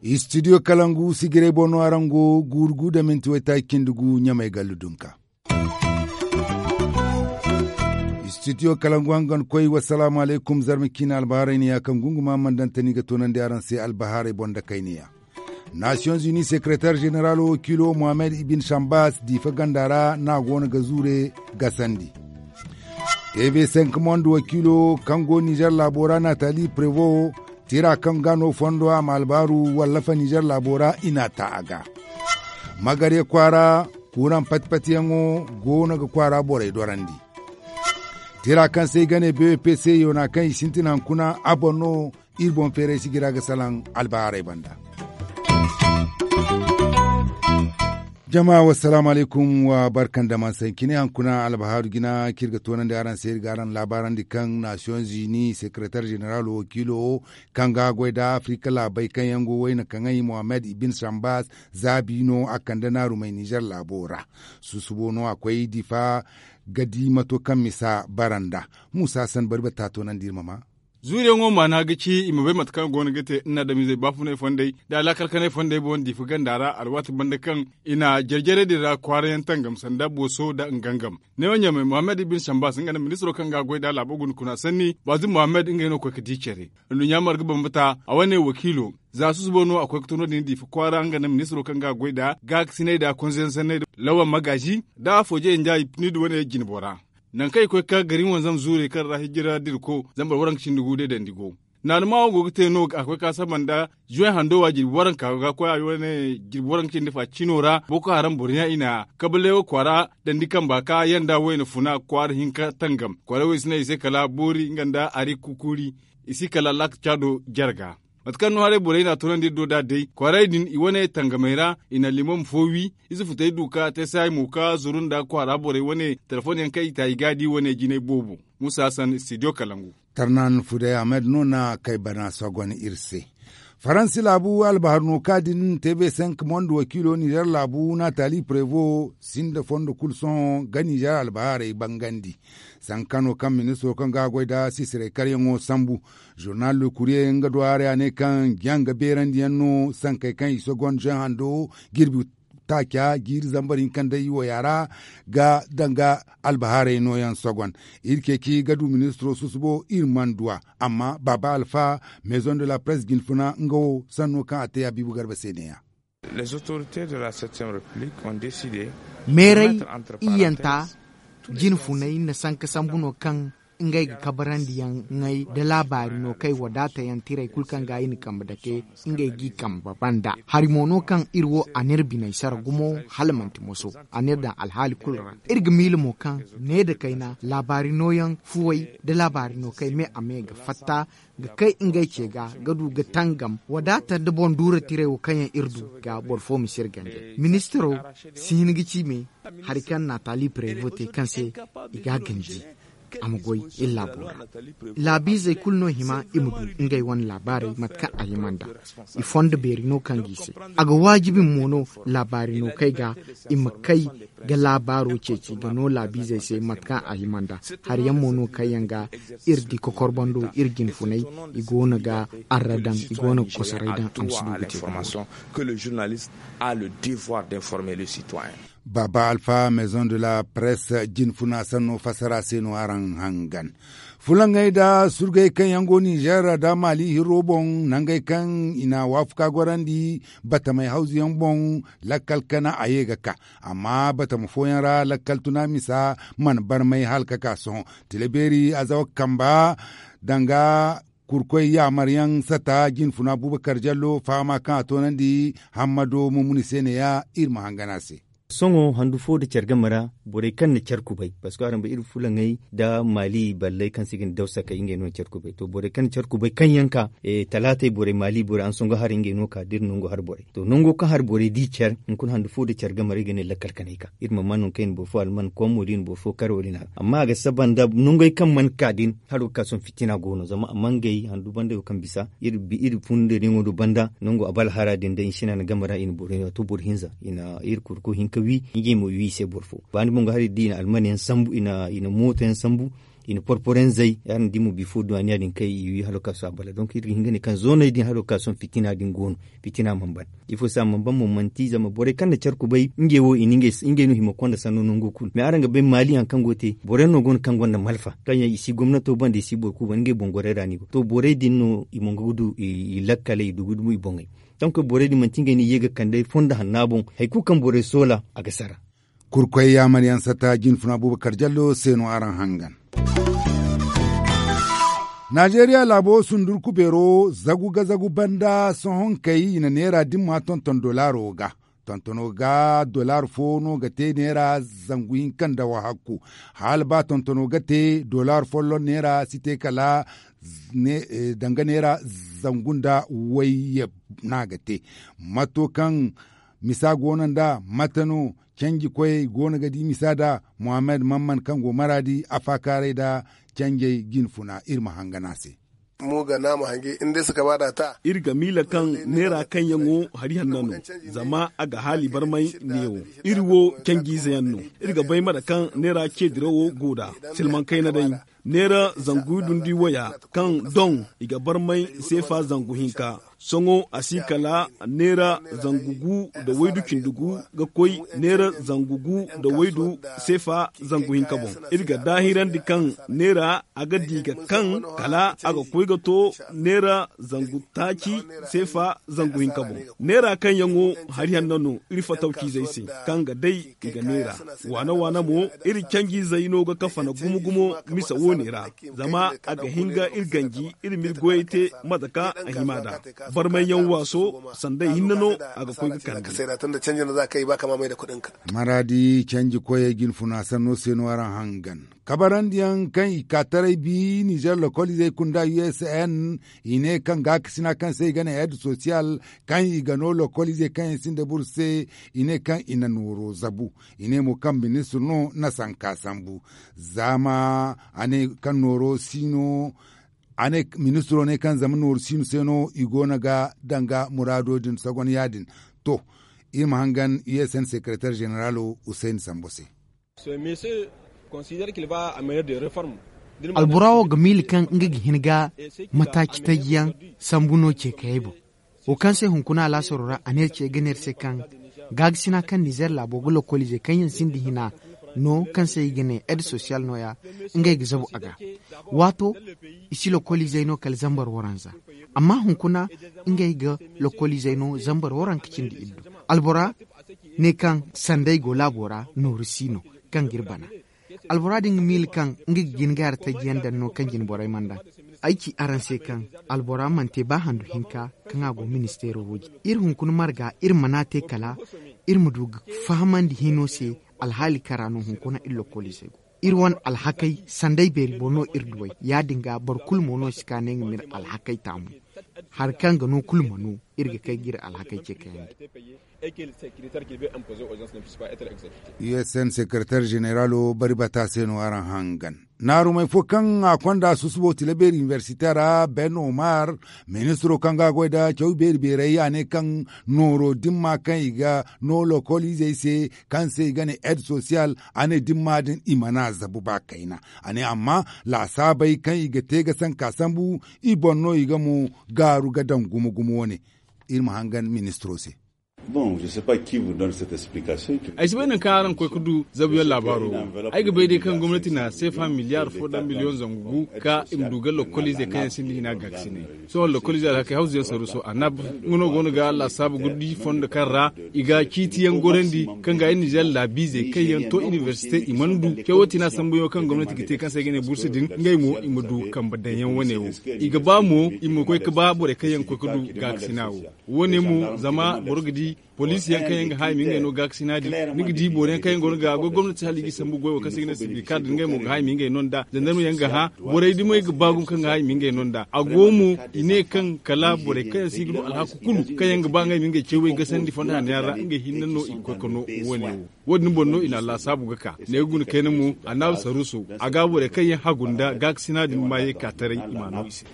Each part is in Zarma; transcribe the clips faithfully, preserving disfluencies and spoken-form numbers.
Istidiyo kalangu sigiray boŋ no araŋ go guuru gu da minti waytaaci cindi gu ɲamay gallu dunka. Istidiyo kalangu hangan koy wassalaamu alaykum zarma ciine albaharay ne ya kaŋ gunguma mana daŋ tani ga toonandi araŋ se albaharay boŋ da kayne ya. Nasiyoŋ zuni sekeretar ženeralo wakiilo mohammed ibin sambas diifa ganda ra no a go no ga zuure gasandi. Tv cinq monde wakiilo kaŋ go nizer laabo ra natali prevo tira kaŋ ga no fondo a ma albaaru wallafa nizer laabo ra i n'a ta a ga. Magarya kwaara kuuraŋ pati-patiyaŋo go no ga kwaara borey dorandi. Tira kaŋ se i ga ne bpc yoona kaŋ i sintin hankuna a boŋ no. Iri boŋ feeray sijira ga salaŋ albahaarey banda. Jama wassalaamu alaykum wa barka nda man sankine hankuna albahaaru jina kaŋ iri ga toonandi araŋ se iri ga araŋ laabaarandi kaŋ nasiyoŋ zuni sekeretar ženeralo wakiilo kaŋ ga goy nda afirika laabey kaŋ yaŋ go wayna kaŋay mohammed ibin sambas zaabi no a kande naarumey nizer laabo ra. Susubo no a koy difa ga di mato kaŋ misa bara nda. Musa san bari bata toonandi iri ma ma. Zuuriyaŋo maana ga ci i ma bay mate kaŋ go no ga te nda adamizey baafunay fondey nda alaakalkanay fondey boŋ diifa ganda ra alwaati banda kaŋ i na jare-jare din ra kwaarayaŋ tangam sanda booso nda ngangam. Neewo ɲamay mohammed ibin sambas nga nda ministiro kaŋ ga a goy nd'a laabo guna kuna sanni baazum mohammed ngey no ga koy ga di care. Nduɲɲa marga bambata a wane wakiilo za susubo no a koy ga to no- din diifa kwaara nga nda ministiro kaŋ ga a goy nd'a gaakasinay nda konzeyaŋ sanney nda lawan magaazi nda afooje njaay pnid wane jinbo ra. Nangu kaŋ i koy ga ka gari wanzam zuurey kaŋ ra hijira dirko zambar waranka cindi gu day dandi go. Naanuma wo go ga te no a koy ga ka saba nda zuway hando wa jirbi waranka ga koy a wane jirbi waranka cindi fa cino ra boko haram boro yaŋ i na kabalewo kwaara dandi kamba ka yanda wayna funa kwaara hinka tangam kwaara wo i si naŋ i se kala boori nga nda hari kukuuri. I si kala laaka caado jarga. Mate kaŋ no haray borey na a toonandi iri do nd'a day kwaaray din i wane tangamey ra i na limam fo wi. Ize futey du ka te saayi mo ka zuru nda kwaara borey wane telefoŋ yaŋ kaŋ i ta i ga a di wane jinay boobo. Musa hassan studio kalangu. Tarnan fuday ahmed no na kay bana sogon iri se. Faransi laabu albahar no ka din tv cinq monde wakiilo nizer laabu natali prevo sinda fondo kulu sohõ ga nizer albaharey bangandi. Sankano kaŋ ministiro kaŋ ga a goy nda sisirey karyaŋo sambu. Zurnal le kuriye nga do haray a ne kaŋ janga beerandiyaŋ no sankey kaŋ i sogon zen hando jirbi taaca jiiri zambar hinka nda i waya ra ga danga albahaarey nooyaŋ sogon. Iri ceeci ga du ministiro susubo iri mana du a. Amma baaba alfa maison de la presse jinfuna nga wo sanno kaŋ a te a biibu garba se neeya. Meeray iyyanta jinfuney na sanka sambu no kaŋ ngey ga kabarandi yaŋ ŋay da laabaari no kay wadaata yaŋ tirey kulu kaŋ ga i na kambe dake ngey g'i kambe banda hari mo no kaŋ iri wo a n'iri biney sara gumo hala manti moso a n'iri daŋ alhaali kulu ra. Iri ga miila mo kaŋ ne nda kayna laabaari nooyaŋ fuwey nda laabaari no kay me a me ga fatta ga kay ngey ce ga ga du ga tangam wadaata nda boŋ duura tirey wo kaŋ yaŋ iri du ga boro fo ma si iri ganjay ministiro si hin ga ci me hari kaŋ natali prevo te kaŋ se i ga a ganji a ma goy iri laabo ra. Laabiizey kulu no hima i ma du ngey wane laabaarey mate kaŋ a hima nd'a. I fondo beeri no kaŋ ga i se a ga waajibi mo no laabaari no kay ga i ma kay ga laabaaro ceeci ga no laabiizey se mate kaŋ a hima nd'a. Hari yaŋ mo no kaŋ yaŋ ga iri di kokorbando iri jinfunay i go no ga arra daŋ i go no ga kosoray daŋ a ma si du ga te. Baaba alfa maison de la presse jinfuna sanno fassara se no araŋ hangan. Fulaŋey nda surgey kaŋ yaŋ go nizer nda maali hirro boŋ nangey kaŋ i na waafaku ka gorandi batamey hawzu yaŋ boŋ. Lakkal kana a ye ga ka amma batama fooyaŋ ra lakkal tuna misa mana barmay hala ka ka sohõ. Tila beeri azawa kamba danga kurkoy yaamaryaŋ sata jinfuna buubakar jallo fahama kaŋ a toonandi hammado mumuni se neeya iri ma hangan a se. Sohõ handu fo nda care game ra borey kaŋ na care kubay parceque araŋ bay iri fulaŋey nda maali balley kaŋ se i ga ne dawsakey ngey no na care kubay to borey kaŋ na care kubay kaŋ yaŋ ka talaatey borey maali borey araŋ songo haray ngey no ka da iri nangu hari borey to nango kaŋ hari borey di care hunkuna handu fo nda care game ra i ga ne lakkal kanay ka iri ma ma nangu kaŋ i na boro fo alman komo da i na boro fo kare wala i na a amma a ga saba nda nangey kaŋ mana ka din haro ga ka sohõ fitina go no zama a mangey handu banda go kaŋ bisa iri funda diŋo do banda nangu a ba alhara din day i sina na game ra i na borey no a to boro hinza i na iri kurku hinka. ga wi ngey mo i wi i se boro fo. Baani boŋ ga hari da i na alman yaŋ sambu i na mooto yaŋ sambu, i na porporo yaŋ zay. Yaadin da i mo bifo duwaniya din kay i wi halo ka su a bala donk iri ga hin ga ne kaŋ zooney din halo ka sohõ fitina din go no. Fitina mana ban. Ifo se a mana ban mo manti zama borey kaŋ na care kubay ngey wo i na ngey no hima konda sanno nango kulu mais araŋ ga bay maali hari kaŋ go ga te boro yaŋ no go no kaŋ gonda malfa kaŋ yaŋ i si gomnato banda i si boro kulu banda ngey boŋ gorey ra no i go to borey din no i mongo ga du i lakkaley i du ga dumo i boŋey. Donk borey din manti ngey no i ye ga kande fondo hanna boŋ hari kulu kaŋ borey soola a ga sara. Kurkoy yaamar yaŋ sata jinfuna buubakar jallo se no araŋ hangan. Najeriya laabo sundurku beero zagu ga zagu banda sohonkey i na neera dimma tonton dolaro ga. Tontono ga dolar fo no ga te neera zangu hinka nda wahakku. Hala ba tontono ga te dolar folloŋ neera si te kala danga neera zangu nda wayye no a ga te. Mato kaŋ misa go no nda mate no canji koyey go no ga di misa nda muhammad mamman kaŋ go maraadi a faakaaray nda canjey jinfuna iri ma hangan a se. Iri ga miila kaŋ neera kaŋ yaŋo hari hanna no zama a ga haali barmay neewo. Iri wo canjiize yaŋ no. Iri ga bay mate kaŋ neera ceedirawo go nd'a silmaŋ kayna day. Neera zangu dundi waya kaŋ doŋ i ga barmay seefa zangu hinka. Sohõ a si kala neera zangu gu nda waydu cindi gu ga koy neera zangu gu nda waydu seefa zangu hinka boŋ. Iri ga daahirandi kaŋ neera a ga di ga kaŋ kala a ga koy ga to neera zangu taaci seefa zangu hinka boŋ. Neera kaŋ yaŋo hari hanno no iri fatawciizey se kaŋ ga day i ga neera. Waana waana mo iri canjiizey no ga kafana gumo gumo misa woone ra. Zama a ga hin ga iri ganji iri ma iri goyey te mate kaŋ a hima nd'a. Barmay yaŋ waaso sanday hinne no a ga koy ga kande. Maraadi canji koyey jinfuna sanno se no araŋ hangan kabarandiyaŋ kaŋ i ka taray bi nizer lokoliizey kunda u s n i ne kaŋ gaakasina kaŋ se i ga ne ed sosiyal kaŋ i ga no lokoliizey kaŋ yaŋ sinda buru se i ne kaŋ i na nooro zabu. I ne mo kaŋ ministir no na sanka sambu. Zama a ne kaŋ nooro si no a ne ministiro ne kaŋ zama nooru siino se no i go no ga danga muraado din sogon ya-din. To, iri ma hangan u s n sekeretar ženeralo hussein sambo se. Albora wo ga miila kaŋ nga ga hin ga mataaci taji yaŋ sambu no ce kayey boŋ. Wo kaŋ se hunkuna alaasaro ra a ne ce ga ne iri se kaŋ gaakasina kaŋ nizer laabo ga lokoliizey kaŋ yaŋ sinda hina no kaŋ se i ga ne ed sosiyal no- ya ngey ga zabu a ga. Waato i si lokoliizey no kala zambar waranza. Amma hunkuna ngey ga lokoliizey no zambar waranka cindi iddu. Albora ne kaŋ sanday go laabo ra nooru si no kaŋ ga iri bana. Albora din ga miila kaŋ nga ga jin ga hari taji yaŋ daŋ no kaŋ jina borey mana daŋ. Ay ci araŋ se kaŋ albora mana te ba handu hinka kaŋ a go ministeero wo jine iri hunkuna marga iri mana te kala iri ma du ga fahamandi hino se. Alhaali kara no hunkuna iri lokoliizey go iri wane alhakey sanday beeri boŋ no iri duw'ey ya-din ga boro kulu mo no si ka ne nga ma iri alhakey taamu. Hari kaŋ ga no kulu ma no iri ga kay ga iri alhakey ce kayandi. U s n sekeretar ženeralo bari bata se no araŋ hangan. Naarumey fo kaŋ a konda susubo tilabeeri iniversite ra ben omar ministiro kaŋ ga goy nda caw beeri beerey a ne kaŋ nooro dimma kaŋ i ga no lokoliizey se kaŋ se i ga ne ed sosiyal a ne dimma din i mana zabu ba kayna. A ne amma laasaabey kaŋ i ga te ga sanka sambu i boŋ no i ga mo gaaru ga daŋ gumo gumo wane. Iri ma hangan ministiro se. Ay si bay nangu kaŋ araŋ ga koy ga du zabuyaŋ laabaaro wo. Ay ga bay day kaŋ gomnati na seefa miliyaar fo nda miliyoŋ zangu gu ka i ma du ga lokoliizey kaŋ yaŋ sinda hina gaakasinay. Sohõ lokoliizey alhakey hawzu yaŋ saruuso a nab nga no go no ga laasaabu ga di fondo kaŋ ra i ga ciiti yaŋ gorandi kaŋ ga ay nizer laabiizey kaŋ yaŋ to iniversite i mana du cawo tina sambuyaŋo kaŋ gomnati ga te kaŋ se ay ga ne bursu din ngey mo i ma du kambe daŋ yaŋ wane wo. I ga ba mo i ma koy ga ba borey kaŋ yaŋ ga koy ga du gaakasina wo. Wo- ne mo zama boro ga di poliisi yaŋ kaŋ yaŋ ga hã i ma ngey no gaakasina din ni ga di boro yaŋ kaŋ yaŋ go no ga goy gomnati hala i ga i sambu goy wo kaŋ se i ga ne sibikar din ngey mo ga hã i ma ngey no nd'a zandarma yaŋ ga hã. Borey dumey ga ba gumo kaŋ ga hã i ma ngey no nd'a a go mo i ne kaŋ kala borey kaŋ yaŋ se i ga du alhaku kulu kaŋ yaŋ ga ba ngey ma ngey cawey gasandi fondo hanno yaŋ ra ngey hinne no i ga koy ga no wo- ne wo. Wo- din boŋ no i na a laasaabu ga ka ne ga guna kayna mo a naaru saruuso a ga borey kaŋ yaŋ hagu nda gaakasina din ma ye ka taray i ma a no i se.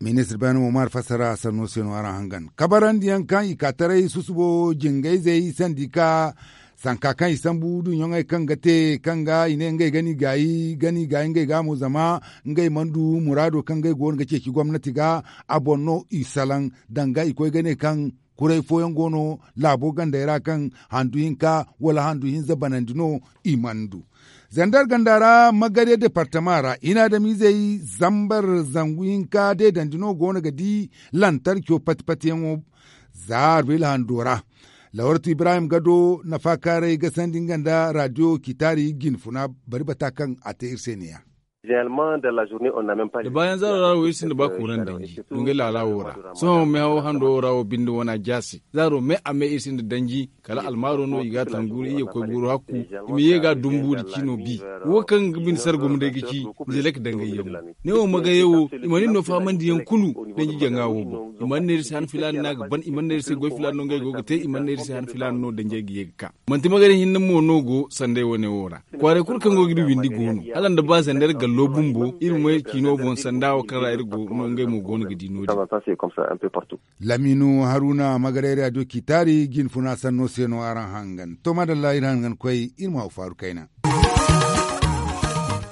Ministir baani mo maari fassara sanno se no araŋ hangan kabarandiyaŋ kaŋ i ka taray susubo jingayzey sandi ka sanka kaŋ i sambu duɲɲoŋey kaŋ ga te kaŋ ga i ne ngey ga ni gaayi ga ni gaayi ngey ga mo zama ngey mana du muraado kaŋ ngey go no ga ceeci gomnati ga a boŋ no i salaŋ danga i koy ga ne kaŋ kuray fooyaŋ go no laabo gandey ra kaŋ handu hinka wala handu hinza banandi no i mana du. Zandar ganda ra magariya departama ra i na adamizey zambar zangu hinka deedandi no go no ga di lantarco pati patiyaŋo za arbayla hando ra. Lawartu ibrahim gado nafaakaaray ga sandi nga nda radiyo kitaari jinfuna bari bata kaŋ a te iri se ne- ya. Da baayaŋ zaaro ra wo iri sinda ba kuuraŋ danji dungay laala wo ra sohõ meehaw hando wo ra wo binde wana jaase zaaro me a me iri sinda danji kala almaaro no i ga a tangu iri ye ga koy buuru hakku i ma ye ga dumbu nda ciino bi wo kaŋ ga bine sargum day ga ci. Zelek dangay yaŋ ne wo magayey wo i mana iri no fahamandi yaŋ kulu. Danji jaŋa wo boŋ i mana ne iri se han filaana no a ga ban i mana ne iri se goy filaana no ngey go ga te i mana ne iri se han filaana no danjey ga ye ga ka. Manti magari hinne mo no go sanday wane wo ra kwaaray kulu kaŋ go ga iri windi go no hala nda ba sanda iri gallo bumbo iri ma ciino boŋ sanda wo kaŋ ra iri go no ngey mo go no ga di no- din. Laminu haruna magaray radiyo kitaari jinfuna sanno se no araŋ hangan to madalla iri hangan koy iri ma haw faaru kayna.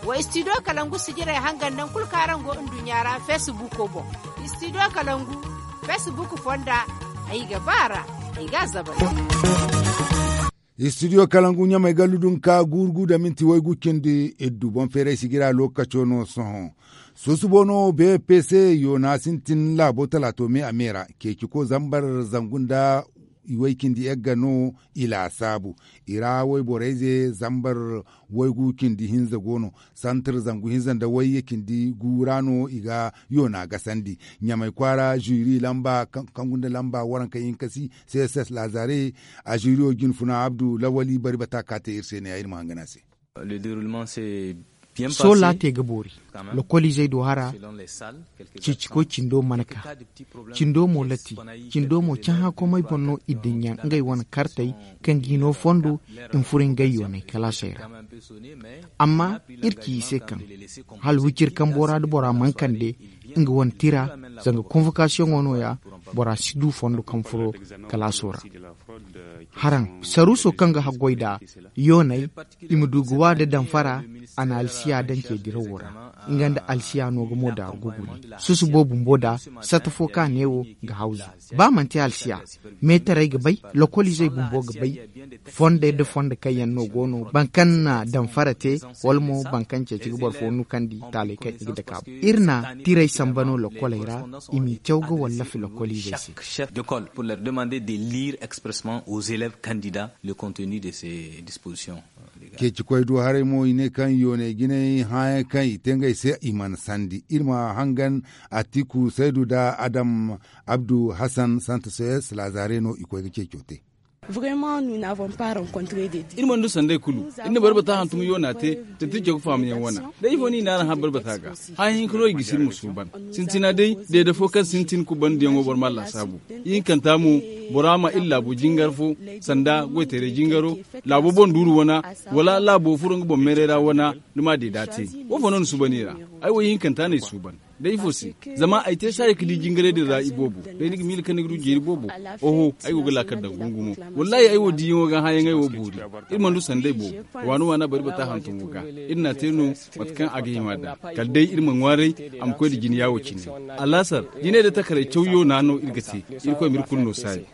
Wa istidiyo kalangu sijirey hangan naŋ kulu kaŋ araŋ go nduɲɲa ra feesibuko boŋ. Istidiyo kalangu feesibuku fonda ay ga ba a ra ay ga a zabay. Istidiyo kalangu ɲamey gallu dunka guuru gu da minti waygu cindi iddu boŋ feeray sigira lookaco no sohõ. Susubo no bpc yoona sintin laabo talaato me a me ra ceeciko zambar zangu nda iway cindi yagga no i laasaabu. I ra wayborey ze zambar waygu cindi hinza go no santir zangu hinza nda wayye cindi gu ra no i ga yoona gasandi. Ɲamey kwaara zuri lamba kaŋ gunda lamba waranka hinka si css laazare. A zuriyo jinfuna abdu lawali bari bata ka te iri se ne ya iri ma hangan a se. Sola te ga boori lokoliizey do hara. Ceecikoy cindo mana ka cindo mo latti cindo mo cahã komey boŋ no i dinya ngey wane kartey kaŋ ga i no fondo i ma furo ngey yoonay kalaasey ra. Amma iri ci i se kaŋ hala wiciri kambo ra da bora mana kande nga wane tira zanga konvokasiyoŋo no- ya bora si du fondo kaŋ furo kalaaso ra. Haraŋ saruuso kaŋ ga haggoy nd'a yooney i ma du ga wa nda damfara a na alsiya daŋ ce dirawo ra. Nga nda alsiya no ga mo daaru ga guni susubo bumbo nd'a sata fo kaŋ a ne wo ga hawzu ba manti alsiya meetarey ga bay lokoliizey bumbo ga bay. Fondey nda fondo kaŋ yaŋ no go no boro kaŋ na damfara te wala mo boro kaŋ ceeci ga boro fo nukandi taaley kaŋ i ga dake a boŋ iri na tirey samba no lokoley ra i m'i caw ga wallafi lokoliizey se. Pour leur demander de lire expressement aux élèves candidats le contenu de ces dispositions. Ceeci koy du haray mo i ne kaŋ yoonay jinay hããyaŋ kaŋ i te ngey se i mana sandi iri ma hangan atiku saydu nda adam abdu hassan santos laazare no i koy ga ceeco te. Iri mana du sanday kulu iri na barbata hantum yoona te da tirco ga faamayaŋ wana. Da ifo no i na araŋ har barbata ga hããyaŋ hinka no i ga sirma suuban. Sintina day deede fo kaŋ sintin kubandiyaŋo boro ma a laasaabu. Ihinkanta mo bora ma iri laabo jingar fo sanda goytayray jingaro laabo boŋ duuru wana wala laabo furo nga boŋ meeray ra wana. Ni ma deeda te. Wo fo no ni suuban i ra? Ay wo ihinkanta no ay suuban. Da ifo se? Zama ay te saaya ga di jingaray din ra iboobo day ni ga miila kaŋ ni ga du jeeri boobo. Oho, ay go ga laakal daŋ gungumo. Wallaahi ay wo diyaŋo ga hããyaŋey wo boori. Iri mana du sanday boobo. Waana waana bari bata hantumo ga iri n'a te no. Mate kaŋ a ga hima nd'a kala day iri ma ŋwaaray a ma koy nda jine yaawo cine. Alaasar jinay nda takaray caw yoona no iri ga te. Irkoy ma iri kulu no saayi.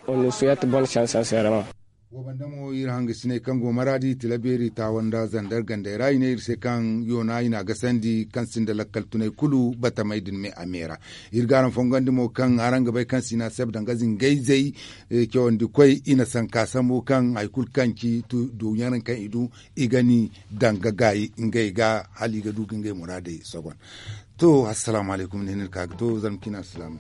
Wo banda mo iri hangasiney kaŋ go maraadi tilabeeri taawa nda zandar gandey ra i ne iri se kaŋ yoona i n'a gasandi kaŋ sinda lakkal tunay kulu batamey din me a me ra. Iri ga araŋ fongandi mo kaŋ araŋ ga bay kaŋ sina seb danga zingayzey cawandi koy i na sanka sambu kaŋ hari kulu kaŋ ci duuyaŋ kaŋ i du i ga ni danga gaayi ngey ga hala i ga du ga ngey muraadey sogon. To assalaamu alaykum ni ne ni ka ga to zama cine assalaamu.